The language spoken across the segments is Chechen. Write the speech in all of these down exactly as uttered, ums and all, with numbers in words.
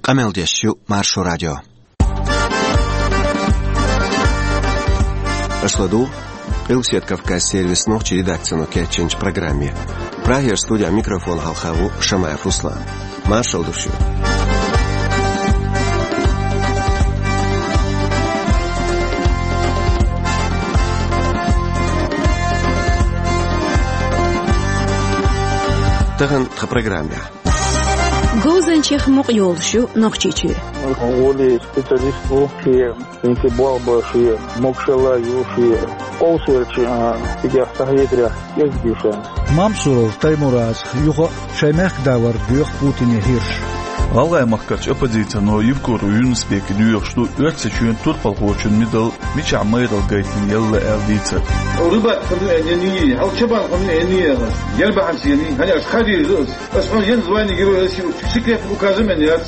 Къамел деш ю Маршо радио. Аша ладугӀу Къилбаседа Кавказан сервисан нохчийн редакцино кечйинчу программе. Прагера студехь микрофон хьалха ву Шамаев Руслан. Маршалла ду шуьга. Тахана тхан программехь. Говзанчех мукъа йолуш ю Нохчийчоь. Вале специалист ву, шен хӀинца болх бан, шен могушалла ю, шен къовсарчу, а, стигех схьахетарехь кӀезиг ю ша. Мамсуров Таймуразах юха а шайн мехкан да вар доьху Путине хӀирш. ГӀалгӀай махкарчу оппозицино Евкуров Юнус-Беке доьхуш ду Оьрсийчоьнан турпалхочун медал мичахь майралла гайтина елла аьлла дийцар. Рыбак хӀун ду аьлла, хьал чабан хӀун ду аьлла, яра бахьана сени, хьаьнаш хадийр ду ас. Ас хьуна ен звание Героя России секретный указ а мен яц.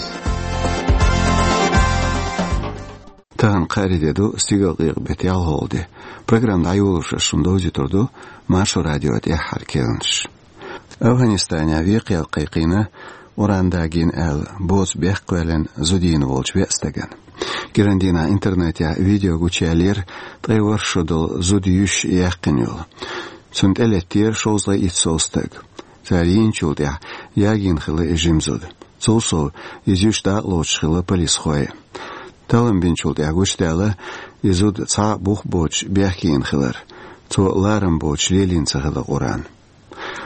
Тахана кхаарин де ду, стигалкъекъа беттан ялхалгӀа де. Программа дӀайолош ас шуна довзуьйтур ду Маршо радион тӀаьххьара керланаш. АфгӀанистанехь векхаялла кхайкхийна, Къуръан дагийна аьлла, боцу бехк кхоьллина зуда йийна волчу веа стагана. КӀиран дийнахь интернетехь видео гучуяьллера ткъе ворхӀ шо долу зуда юьш яьккхина йолу. Цунна тӀелеттера шовзткъе итт сов стаг. Цара йийначул тӀаьхьа ягийна хилла и жима зуда. Цул сов, иза юьш дакъалоцуш хилла полисхой. Таллам бинчул тӀаьхьа гучудаьлла и зуда цхьа а бух боцуш бехке йина хилар. Цо ларам боцуш лелийна ца хилла Къуръан.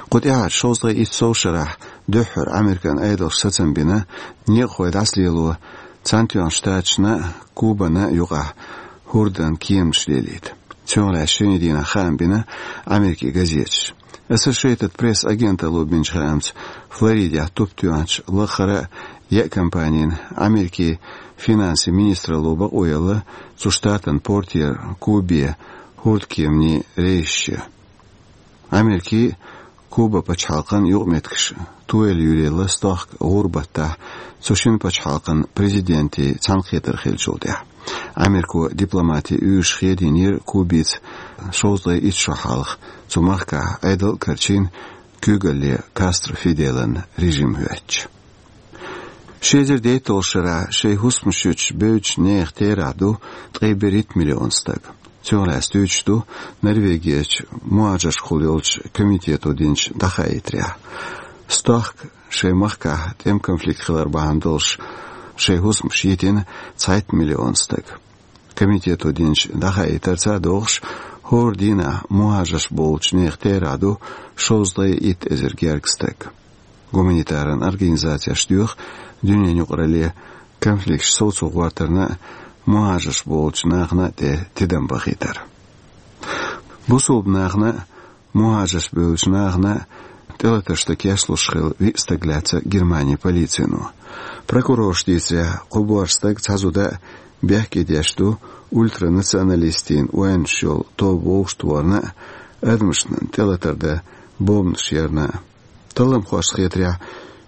Кху тӀаьхьарчу шовзткъе итт сов шарахь дуьххьара Американ Ӏедалша сацам бина некъахой дӀасалело Цхьаьнатоьхначу Штаташна а, Кубана а юкъахь хӀордан кеманаш лелийта. Цунах лаьцна шина дийнахь хаам бина Америкин газеташа. Associated Press агенталло бинчу хаамца, Флоридехь туп тоьхначу лаххара а еа компанина Америкин финансийн министралло бакъо елла цу штатан портера Кубе хӀордкеманийн рейсаш ян. Америкин, Куба пачхьалкхан юкъаметтигаш тояла юьйлаелла стохка гӀуран баттахь, цу шина пачхьалкхан президентийн цхьаьнакхетар хиллачул тӀаьхьа. Америко дипломатийн уьйраш хедийнера Кубица шовзткъе итт шо хьалха, цу махкахь Ӏедал а карчийна, куьйгалле Кастро Фиделан режим хӀоьттича. Ши эзар дейтталгӀачу шарахь шайн хӀусамаш юьтуш бевддачу нехан терахь ду ткъе берхӀитта миллион стаг. Цунах лаьцна дуьйцуш ду Норвегерчу мухӀажаршкахула йолчу комитето динчу дӀахаийтарехь. Стохка шайн махкахь тӀеман конфликт хилар бахьана долуш шайн хӀусамаш йитина цхьайтта миллион стаг. Комитето динчу дӀахаийтарца а догӀуш, хӀора дийнахь мухӀажарш болчу нехан терахь ду шовзткъе итт эзар гергга стаг. Гуманитаран организацеша доьху дуьненан юкъаралле конфликташ совцо гӀортарна а, мухӀажарш болчу нахана а тӀе тидам бахийтар. Бусулба нахана а, мухӀажарш бевллачу нахана а тӀелатарш дан кечлуш хилла виъ стаг лаьцна Германин полицино. Прокурорша дийцарехь, кхо боьрша стаг, цхьа зуда а бехке деш ду ультранационалистийн ойланаш йолу тоба вовшахтохарна а, адамашна тӀелатар дан бомбанаш ярна а. Талламхошна хетарехь,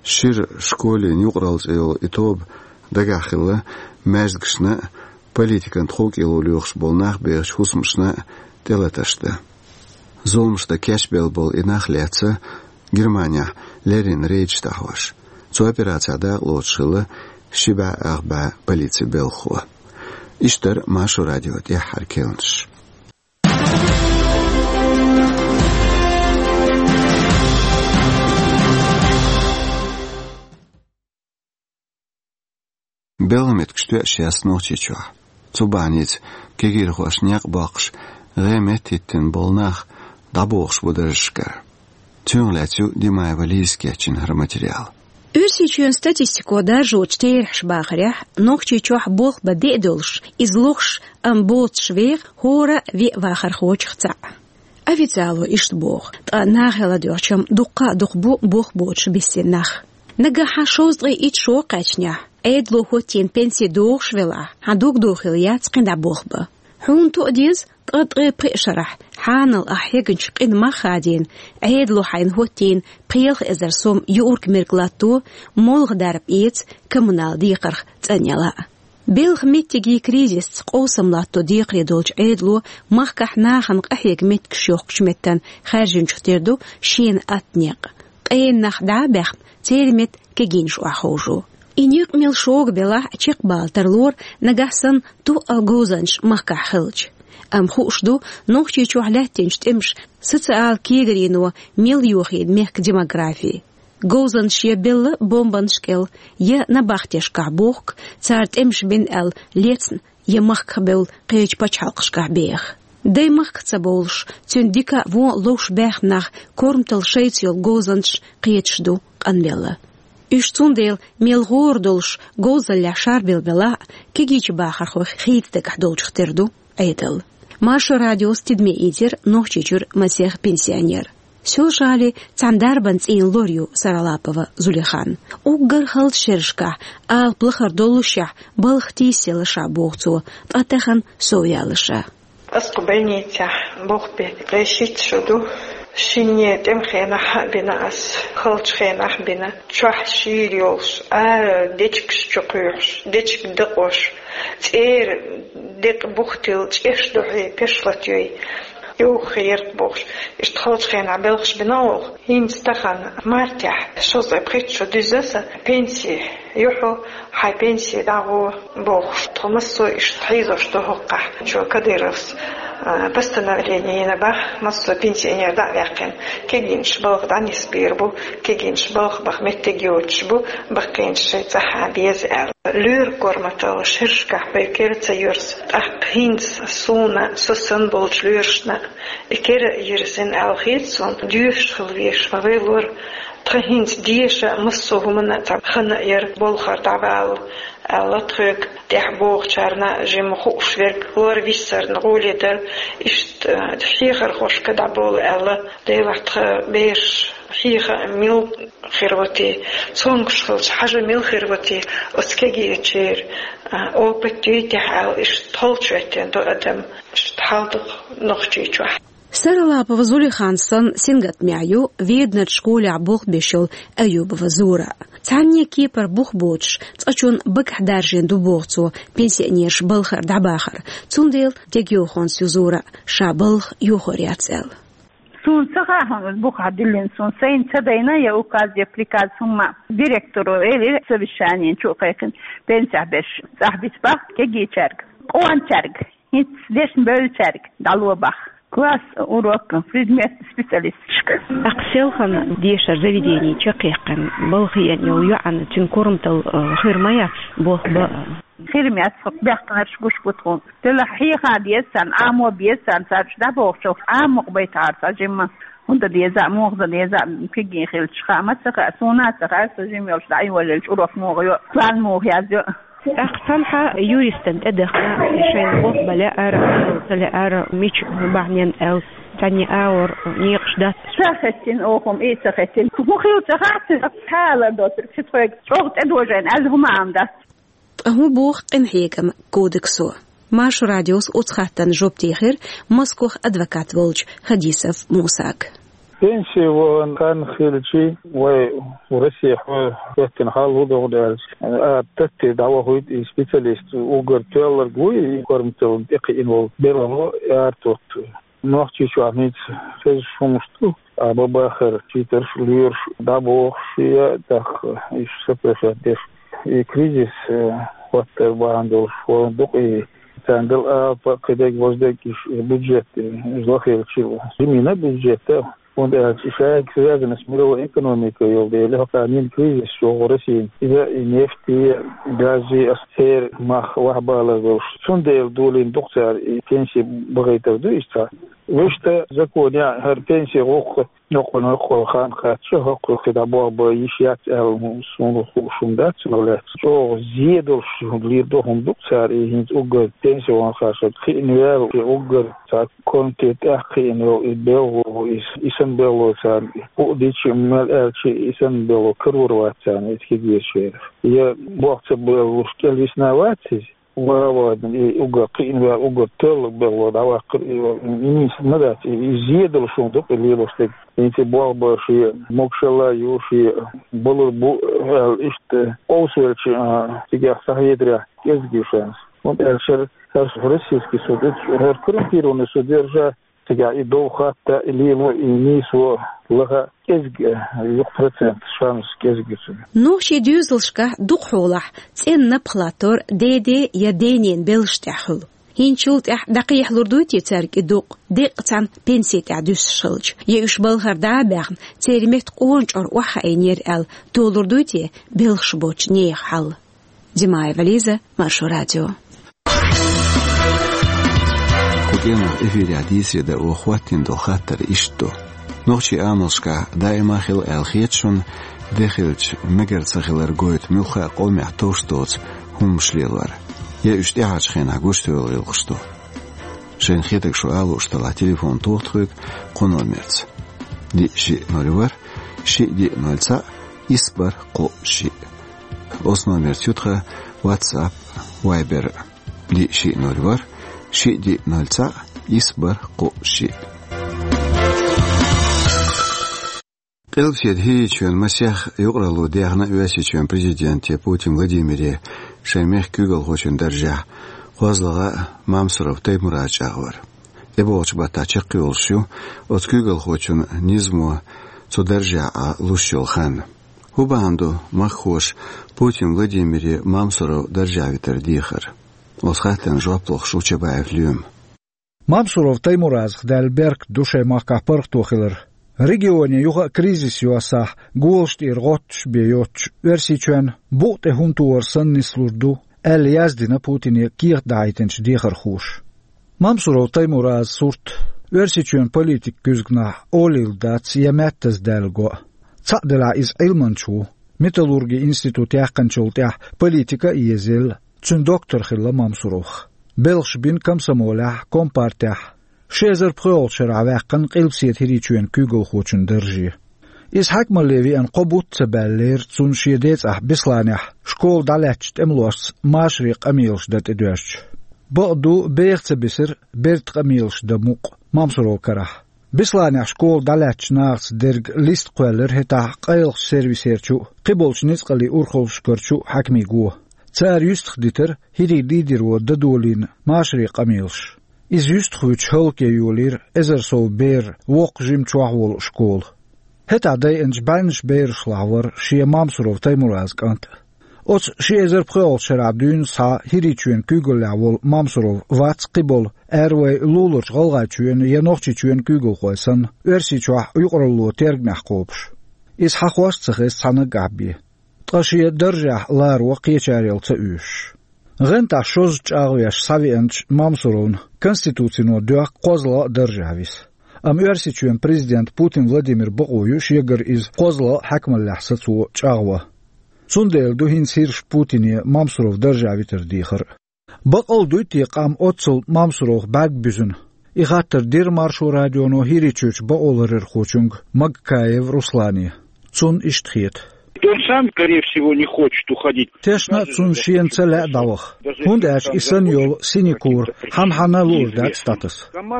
«Шира школин юкъаралла» цӀе йолу и тоба дагахь хилла маьждигашна а, политикан тховкӀело лоьхуш болу нах бехачу хӀусамашна а тӀелатарш дан. Зуламаш дан кечбелла болу и нах лаьцна Германехь леррина рейдаш дӀахьош. Цу операцехь дакъалоцуш хилла ши бӀе ах бӀе полицин белхахо. Иштта дара Маршо радион тӀаьххьара керланаш. Белхан меттигаш тоьаш яц Нохчийчохь. Цу бахьаница кегийрхошна некъ боккхуш, гӀеметтахӀиттина болу нах дӀабохуш бу даржашкара. Цунах лаьцна ю Димаева Лизас кечйина хӀара материал. Оьрсийчоьнан статистико даржочу терахьаша бахарехь, Нохчийчохь болх бан де а долуш, иза лохуш, амма боцуш веха хӀора а веа вахархочух цхьаъ. Официало иштта боху, ткъа нахе ладоьгӀча-м дуккха а дукха бу болх боцуш бисина нах. Нагахь шовзткъе итт шо кхаьчнехь, Ӏедало хӀоттийна пенси догӀуш велахь, хьан дог дохийла яц кхин дӀа болх бан. Хьуна тоъа деза, ткъа ткъе пхи шарахь, хьанал ахь хьегначу къина мах хадийна, Ӏедало хьайна хӀоттийна пхи-ялх эзар сом юург-мерг латто, молха дарба эца, коммунал декхарх цӀанъяла а. Белхан меттигийн кризисца къовсам латто декхаре долчу Ӏедало махкахь нахана къахьега меттигаш йохкучу меттана хаьржинчух тера ду шена атта некъ. Къена нах дӀа а баьхна, церан метта кегийнаш охьаховшо. И некъ мел шога белахь а чекхбала тарлора, нагахь санна тух а говзанчаш махкахь хилча. Амма хууш ду, Нохчийчохь лаьттинчу тӀемаша социал кегарино мел йохийна мехкан демографи. Говзанчаш я белла бомбанаш кӀел, я набахтешкахь бохку, цара тӀемаш бина аьлла лецна, я махках бевлла кхечу пачхьалкхашкахь беха. Даймахка ца бовлуш, цуьнан дика а, вон а ловш баьхна нах корматалла шайца йолу говзанчаш кхеташ ду къанбелла. Уьш цундела мел гӀора долуш говзаллехь шарбелла белахь а, кегийчу бахархойх хийца дагахь долчух тера ду Ӏедал. Маршо радиос тидаме ийцира Нохчийчуьра масех пенсионер. Соьлжа-ГӀалин цхьана дарбан цӀийнан лор ю Саралапова Зулихан. Уггар хала шерашкахь, алапа лахара доллушехь, балха тийсаелла ша боху цо, ткъа тахана совъяьлла ша. Ас кху больницехь болх бен кхин шийтта шо ду. Шинне тӀеман хенахь а бина ас, халчу хенахь а бина. Чохь шийла йолуш, ара дечигаш чу кхуьйхьуш, дечиг дакъош, цӀера декъа бух тилла, чӀеш дохьий, пешлат йой, йовха хир бохуш, иштта халчу хенахь белхаш бина оха. ХӀинца тахана мартехь шовзткъе пхийтта шо дуьзна сан пенси ю хьо, хьайн пенси дӀагӀо бохуш, тхо массо а иштта хьийзош ду хӀокхахь. Чо Кадыровс, а, постановление йина бах, массо а пенсионер дӀа а ваьккхина, кегийнаш балха дӀанисбийр бу, кегийнаш балха баха меттиг йоцуш бу, баккхийнаш шайн цӀахь а беза аьлла. Лоьран корматалла шерашкахь вай кера ца йирза, тӀаккха хӀинца суна, со санна болчу лоьрашна и кера йирзина аьлла хета суна, доьшуш хила везаш ма вай лор. Тхан хӀинца деша массо а хӀуманна цхьа ханна а яра болхара дӀавала аьлла, тхоьга тӀехь бохучарна жимма хууш верг лор виссарна гӀоле дара, иштта хьехархошка дӀаболу аьлла, Делахь тхан бераш хьеха мила хир ву те, цомгуш хилча хьажа мила хир ву те, оцу кегийчеран, а, опыт дуьйтехь аьлла, иштта холчу веттина ду адам, иштта хьал ду Нохчийчохь. Саралапова Зулихан санна сингаттамехь ю Веданарчу школехь болх беш йолу Аюбова Зура. Цхьанне кепара бух боцуш, цкъачунна багахь даржийна ду боху цо пенсионераш балхара дӀабахар, цундела дегайовхонца ю Зура, ша балха йохор яц аьлла. Суна ца хаьа хьуна, иза бухахь дуьллина суна, сайна ца дайна я указ, я приказ хӀумма. Директоро элира совещание чу а кхайкхина, пенсехь берш цӀахь бита бах кегийчаьрга, къоначаьрга, хӀинца дешна бевллачаьрга дӀало бах. Класс, урок, предмет, специалисташка. ТӀаккха селхана дешара заведени чекхъяьккхина, балха еана йолу йоӀана цуьнан корматалла, э, хир ма яц, болх бан а. Хир ма яц, хӀокху баьхкинарш гуш бу тхуна. Делахь хьеха деза царна, Ӏамо беза царна, царна чу дӀабохучух Ӏамокъ байтахьара цхьа жимма. ХӀунда деза а, муха дан деза а, кегий хилча хаа ма ца хаьа, суна а ца хаьа, со жима йолуш дӀа а йоллуш урок муха йо, план муха язйо. ТӀаккха цхьанхьа юристан тӀе дахна, шайна болх бан лаьара, ца лаьара, мича бахьанин аьлла, цхьанне агӀор некъаш дац. Ца хеттина оха хӀума, и ца хеттина. ХӀун хилла ца хаьа, ца хала доцург, шу тхоьга чӀогӀа тӀедожийна аьлла хӀума ам дац. Ткъа хӀун боху къинхьегаман кодексо? Маршо радиос оцу хаттарна жоп дийхира Москох адвокат волчу Хадисов Мусага. Пенсий вахана хан хилчи, вай Россехь хӀоьттина хьал хӀун догӀу аьлча, а, таттий дӀавахуьйту и специалист, уггар тоьлларг вуй, и корматаллина тӀекхиъна волу белхало, артухту. Нохчийчохь хӀинца хезаш хӀумнаш ду, а, бан бахара чийтарш, лоьраш дӀабохуш я, тӀаккха уьш сапешат деш. И кризис, э, хӀоттар бахьана долуш, хӀора дукъий, царна дала алапа, кхидерг, важдерг, уьш бюджет, э, иза лахилча, жимина бюджета, хӀунда аьлча и шайга связанность мировой экономика йолу дела, хӀокху нин кризис чӀогӀа Россин. Иза и нефть, и газ, и ас церан мах вахьабалар долуш. Цундела долийна дукха цара и пенсий бахийтар ду иштта. Вуьшта закон яа, хӀара пенсий гӀуллакх йоккхуш, йоккхуш хан кхаьчча, хӀокхуьнга кхидӀа болх бан йиш яц аьлла, суна хууш хӀума дац, но лаьцна. ЧӀогӀа зе долуш хӀума лийр ду, хӀума ду цара, и хӀинца уггар пенсионерша кхиъна ваьлла, и уггар цхьа комитет тӀехь кхиъна йолу, и белхало, и, и санна белхало царна, и бу дичи мел аьлчи, и санна белхало карор вац царна, и кегийчеран. Я болх ца бан луш кӀел висна вац иза? Ва, ва, и уггар кхиъна ваьлла, уггар тоьлларг белхало дӀаваккхар, и, и нийса ма дац, и, и зе долуш хӀума ду-кх и лелош дерг. ХӀинца болх бан шен могушалла ю, шен балур бу аьлла, иштта къовсавелча, а, цигахь схьахетарехь кӀезиг ю шайна. ХӀунда аьлча хӀара российский суд, хӀара коррумпированный суд вер ша, Цигахь и дов хатта, и лело, и нийсо лаха кӀезиг, юкъ процент, шанс кӀезиг ю цуьнан. Нохчийн доьзалшкахь дукхахьолахь цӀена напха латтор деде я денен белхаш тӀехь хуьлу. ХӀинцачул тӀаьхьа дӀакхехьалур дуй те цаьрга и дукъ, деккъа цхьана пенси тӀехь дуьсуш хилча? Я уьш балхара дӀа а баьхна, церан метта къона чӀор охьахаийнера аьлла, толур дуй те белхаш боцчу нехан хьал? Димаева Лиза, Маршо радио. Кху кӀиранах эфирехь дийцаре дан оха хӀоттийна долу хаттар иштта ду. Нохчийн амалшкахь даима а хила аьлла хета шуна, де хилча мегар ца хилар гойту муьлхха а къомехь товш доцу хӀуманаш лелор? Я уьш тӀаьхьарчу хенахь гуш тевлла гӀиллакхаш ду? Шайна хетарг шу ала лууш делахь, телефон тоха тхоьга кху номерца: диъ шиъ ноль ворхӀ, шиъ диъ ноль цхьаъ, исс бархӀ кхоъ шиъ. Оцу номерца ю тхан WhatsApp, Viber: диъ шиъ ноль ворхӀ, шиъ диъ ноль цхьаъ, исс бархӀ кхоъ шиъ. Къилбаседа ХӀирийчоьнан масех юкъаралло дехна Оьрсийчоьнан президенте Путин Владимире шайн мехкан куьйгалхочун даржехь кхозлагӀа а Мамсуров Таймураз чӀагӀвар. ТӀебогӀучу баттахь чекхйолуш ю оцу куьйгалхочун низамо цу даржехь Ӏа луш йолу хан. ХӀун бахьана ду махкахоша Путин Владимире Мамсуров даржехь витар дехар? Оцу хаттарна жоп лохуш ву Чабаев Лоьма. Мамсуров Таймуразах даьлла беркат ду шайн махкахь паргӀато хилар. Регионе юха а кризис йоссахь, голаш тӀера гӀотташ бен йоцчу Оьрсийчоьнна букъа тӀе хӀума тухур санна нислур ду, аьлла яздина Путине кехат дахьийтинчу дехархоша. Мамсуров Таймуразан сурт Оьрсийчоьнан политикан куьзганахь олийла дац я маьттаза даьлла го а. Цхьаъ делахь иза Ӏилманча ву. Металлургин институт яьккхинчул тӀаьхьа политика а езаелла, цуьнан доктор хилла Мамсуровх. Белхаш бина комсомолехь, компартехь. Ши эзар пхоьалгӀачу шарахь ваьккхина Къилбаседа ХӀирийчоьнан куьйгалхочун дарже. Иза хьаькамалле веана кхо бутт ца баьллера цунна шен децӀахь Бесланехь школа дӀалаьцначу тӀемалошца машаре къамелаш дан тӀедоьжча. Бакъду, беха ца бисира бертан къамелаш дан мукъ Мамсуровн карахь. Бесланехь школа дӀалаьцначу нахаца дерг листа кхоьллира хӀетахь къайлахчу сервисерчу а, кхиболчу ницкъаллин урхаллашкарчу а хьаькамийн го. Цара юьстахдитира хӀирийн лидеро дан долийна машаре къамелаш. Иза юьстахвуьтуш хӀаллакъе йолийра эзар сов бер воккха-жима чохь волу школа. ХӀетахь дайинчу бӀеннаш берашлахь вара шен Мамсуров Таймуразан кӀант а. Оцу ши эзар пхоьалгӀачу шарахь дуьйна схьа ХӀирийчоьнан куьйгаллехь волу Мамсуров вац кхиболу, ара вай луларчу ГӀалгӀайчоьнан я Нохчийчоьнан куьйгалхой санна, Оьрсийчохь юкъаралло тергамехь кхобуш. Иза хьахош а ца хеза цхьа наггахь бен. Ткъа шен даржехь ларо кхечарел ца оьшуш. ГӀентахь шозза чӀагӀвеш схьавеанчу Мамсуровна Конституцино доьхку кхозлагӀа а даржехь виса. Амма Оьрсийчоьнан президент Путин Владимир бакъо ю шегара иза кхозлагӀа а хьаькамаллехь сацо чӀагӀван. Цундела ду хӀинца хӀирша Путине Мамсуров даржехь витар дехар а. Бакъ а дуй те къам оццул Мамсуровх бӀаьрг буьзна? И хаттар дира Маршо радионо ХӀирийчуьрчу бакъоларъярхочуьнга Магкаев Руслане. Цунна иштта хета. Он сам, скорее всего, не хочет уходить. Тешна а цунна шена ца лаьа дӀаваха, хӀунда аьлча и санна йолу синекура хьан-хьанна луур дац статус.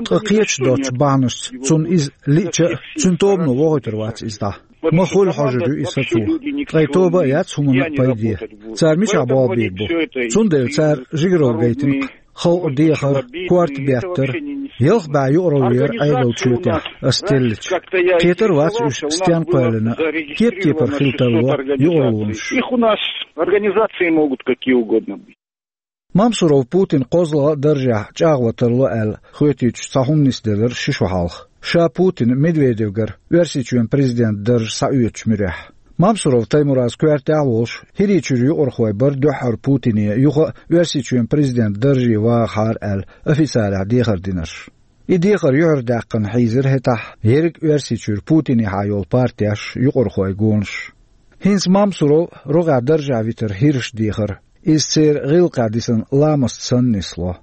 Ткъа кхеташ доцчу бахьанашца цунна иза лиъча а, цуьнан тобано вохуьйтур вац иза дӀа. Ма хуьлу хьожур ю и сацо. Ткъа и тоба а яц хӀуманна а пайде. Цара мичахь болх бийр бу? Цундела цара жигаралла гайтина-кх. Халкъан дехар, корта беттар, ялх бӀе юкъаралла яра Ӏедалан чоьтехь ас теллича. Кхетар вац уьш стенна кхоьллина, кеп-кепара хила тарло юкъараллонаш. Их у нас организации могут какие угодно быть. Мамсуров Путин кхозлагӀа а даржехь чӀагӀван тарло аьлла хоьтуьйтуш цхьа хӀума нисделира ши шо хьалха, ша Путин Медведевгара Оьрсийчоьнан президентан дарж схьаоьцучу муьрехь. Мамсуров Таймураз коьртехь а волуш, ХӀирийчуьра юкъархой бара дуьххьара Путине юха а Оьрсийчоьнан президентан дарже вагӀахьара аьлла официалехь дехар динарш. И дехар юьхьардаьккхина хьийзира хӀетахь ерриг Оьрсийчуьра Путинехьа йолу партеш, юкъархойн гонаш. ХӀинца Мамсуров рогӀехь даржехь витар хӀирша дехар, иза церан гӀиллакхехь дисина ламаст санна нисло.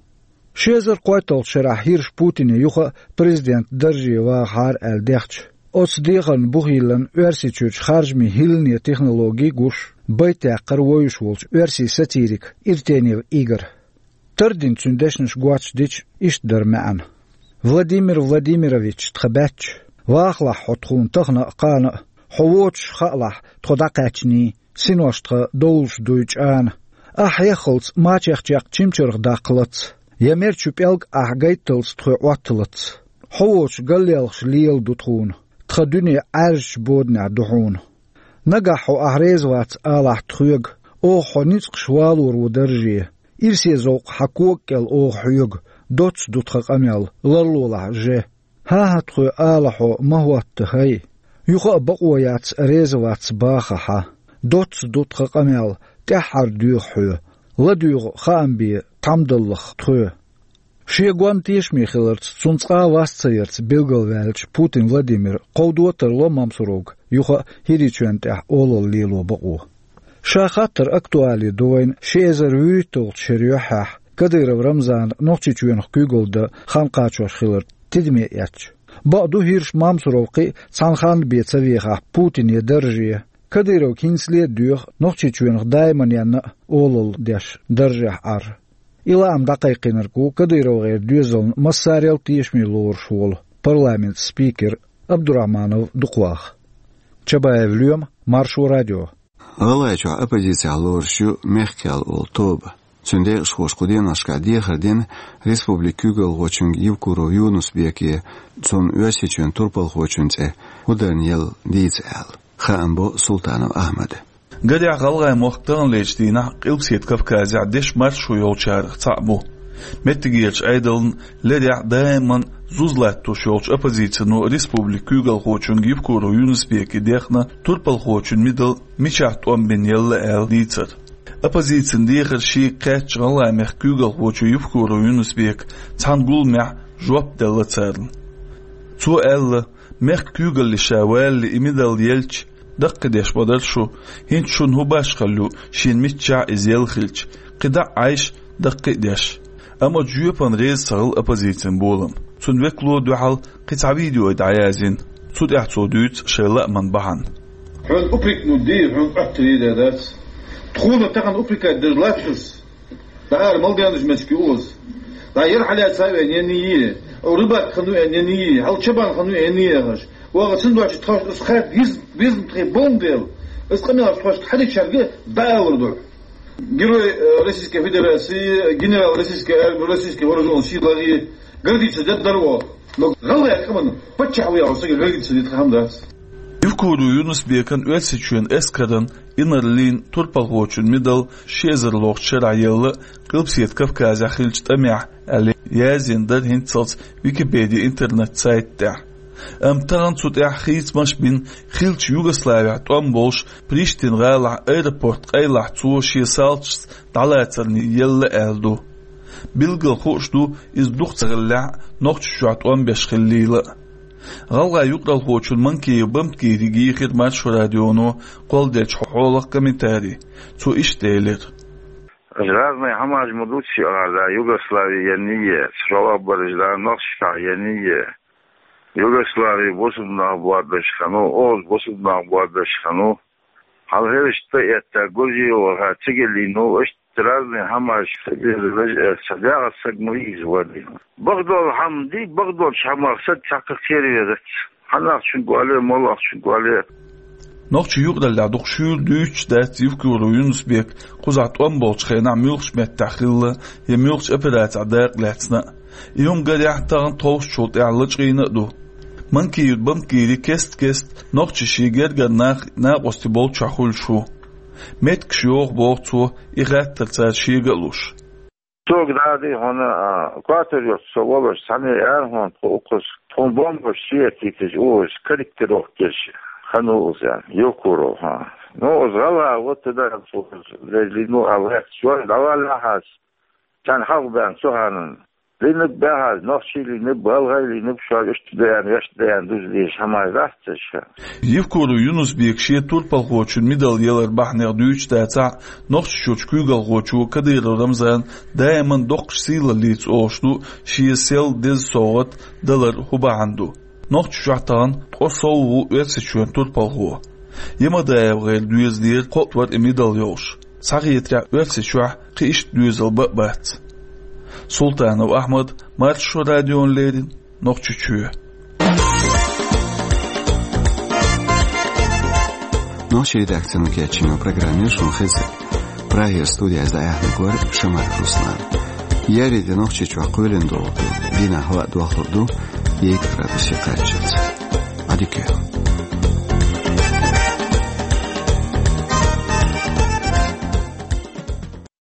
Ши эзар кхойтталгӀачу шарахь хӀирша Путине юха а президентан дарже вагӀахьара аьлла дехча, оцу дехарна бух йиллина Оьрсийчуьрчу харжамийн хӀиллане технологи гуш, байт яккхара вевзаш волчу оьрсийн сатирика Иртенев Игора. Тардина цуьнан дешнаш гоч дича, иштта дара маьӀна: «Владимир Владимирович, тхан баьчча, вахалахь хьо тхуна тахана а, кхана а, хьо воцуш хаалахь тхо дӀакхаьчний, синош тхан довлуш дуй чӀана. Ахь хьеххалц мачех чекх чимчаргӀа даккхалац, я мерчу пӀелг ахь гайтталц тхоь Ӏотталац. хьо воцуш галъелхаш лела ду тхуна, тхан дуьне Ӏаьржачу боданехь ду хьуна. Нагахь хьо ахь реза вац алахь тхоьга, оха хьо ницкъаш валор ву дарже, ирсе зовкх хьан кога кӀел оха хьоьга, доцца ду тхан къамел, ларлолахь же. ХӀан-хӀа, тхоь ала хьо ма хӀотта, хӀай. Юха а бакъо яц, реза вац баха хьан. Доцца ду тхан къамел, тӀаьххьара доьху хьоь, ладоьгӀу хаам бе, тхьамдаллах тхоь. Шен гон тешаме хиларца, цунна цкъа а вас ца ярца билгалваьллачу Путин Владимира кховдо а тарло Мамсуровга юха а ХӀирийчоьнна тӀехь олалла лело бакъо. Ша хаттар актуале ду вайна ши эзар вуьрхӀитталгӀачу шеран юьххьехь Кадыров Рамзана Нохчийчоьнах куьйгалла дан хан кхачош хилар тидаме эцча. Бакъду, хӀирш Мамсуров кхин а цхьана ханна бен ца вехахь Путине дарже, Кадыровга хӀинцале а доьху Нохчийчоьнах даиманенна а олалла деш даржехь Ӏар. И лаам дӀакхайкхийнарг ву КадыровгӀеран доьзална массарел а тешаме лоруш волу парламентан спикер Абдурахманов Дукхвах. Чабаев Лоьма, Маршо радио. ГӀалгӀайчохь оппозицехь лоруш ю «Мехк-кхел» олу тоба. Цуьнан декъашхоша кху деношкахь дехар дина республикан куьйгалхочуьнга Евкуров Юнус-Беке, цунна Оьрсийчоьнан турпалхочун цӀе хӀун дарна елла дийца аьлла. Хаам бо Султанов Ахьмада. Гарехь, гӀалгӀай мохк таханлерчу дийнахь Къилбаседа Кавказехь дешан маршо йолчарах цхьаъ бу. Меттигерчу Ӏедална лерехь даиман зуз латтош йолчу оппозицино республикан куьйгалхочуьнга Евкуров Юнус-Беке дехна турпалхочун мидал мичахь тӀом бина елла аьлла дийцар. Оппозицин дехар шега кхаьчча, гӀалгӀай мехкан куьйгалхочо Евкуров Юнус-Бека цхьана гуламехь жоп делла царна. Цо аьлла, мехкан куьйгалле ша валале и мидал елча, даккхийдеш ма дара шу, хӀинца шуна хӀун башхалла ю, шена миччахь иза елла хилча, кхин дӀа а Ӏайша, даккхий а деш. Амма жоьпана реза ца хилла оппозицин болам. Цуьнан векало дуьхьал кхин цхьа видео дӀаязйина. Цу тӀехь цо дуьйцу шайн лааман бахьана. Хьуна упрекнуть дийр, хьуна Ӏоттар дийр дац. Тхуна тахана упрекать деш лаьтташ. ДӀа ара мала денначу меттиге оза. ДӀа яра хьалаьцна вен енний, рыбак ханна вен енний, хьал чабан ханна вен енний яхаш. Ваха цундачу тхош ас хатта гиз-, гизна тхе болн дел. Ас къамелаш тхош хьадичарга дӀа алур ду. Герой, э, Российской Федерации, генерал российской армии, российских вооружённых сил, гордиться дед дорого. Но гӀалгӀай къаман паччахь ву яхаш сага гордиться дед хам дац. Евкуров Юнус-Бекан Оьрсийчоьнан эскаран инарлин турпалхочун мидал ши эзар лохучу шарахь елла Къилбаседа Кавказехь хиллачу тӀамехь аьлла язйина дара хӀинццалц Википеди интернет-сайта тӀехь. Амма тахана цу тӀехь хийцамаш а бина, хиллачу Югославехь тӀом болуш Приштина гӀалахь аэропорт къайлахь цо шен салташца дӀалацарний елла аьлла ду. Билггал хууш ду, иза дукха ца хиллехь а, Нохчийчохь тӀом беш хиллийла а. ГӀалгӀай юкъаралхочун Манкиев Бамтгирига йийхира Маршо радионо кхолладелчу хьолах комментарий. Цо иштта элира: Аш разный хӀамаш ма дуций, ала, да, Югослави енний, шолгӀа бараш, да, Нохчийчохь енний. Югослави бусулба нах боадаш ханна, оз бусулба нах боадаш ханна. Хьал хӀирашта тӀа а этта, Гуржиеваха цига лийна, иштта разный хӀамаш ца беза, ца дегӀа саг ма иза вадийна. Бакъдолу хӀама ди, бакъдолчу хӀамах саг цхьаккха кхера везац. Хьанахчун гуале, молахчун гуале. Нохчийн юкъараллехь дукха шуьйра дуьйцуш дац Евкуров Юнус-Бек кхузахь тӀом болчу хенахь муьлхачу меттехь хилла я муьлхачу операцехь дакъа лаьцна а. И хӀума гарехь тахана тховсачул тӀаьхьа лачкъийна а ду. Манкиев Бамтгири кест-кеста нохчийн шен гергара нах накъостий болчохь хуьлуш ву. Меттигаш йоху, боху цо, и хаттар цара шега а луш. Цо дади хьуна, а, квартир йоцу со волуш, цхьаьна ара хьуна тхо укхаза, тхуна бомбаш шиятийташ узуш, корректировка деш, ханна уза, Евкуров, хьа. Ну, уза гӀала, вот туда, уза, лежли, ну, а вац, чой, давай лахьас. Царна хьалха баьхна цу ханна. Лийнарг баьхьа, нохчий лийнарг, балгӀай лийнарг, шуьга иштта даян, вешта даян, дуза дезаш хӀамаш дац ца ша. Евкуров Юнус-Бека шен турпалхочун мидал ялар бахьанех дуьйцуш дацахь а, Нохчийчуьрчу куьйгалхочо Кадыров Рамзана даиман доккхачу сийлаллица олуш ду шен сел деза совгӀат далар хӀун бахьана ду. Нохчийчохь тахана ткъа сов ву Оьрсийчоьнан турпалхо. ЯмадаевгӀеран доьзалера кхоъ вара и мидал йолуш. Схьахетарехь, Оьрсийчохь кхин иштта доьзал бан а бац. Султанов Ахьмад, Маршо радиона леррина, Нохчийчоь. Нохчийн редакцино кечйина программа шуна хезира. Прагера студиехь дӀаяьхьнарг вара Шамаев Руслан. Еарин де Нохчийчохь кхоьлина догӀу ду, дийнахь хӀаваъ дохлур ду. Егь градусе къачуц. Адикех.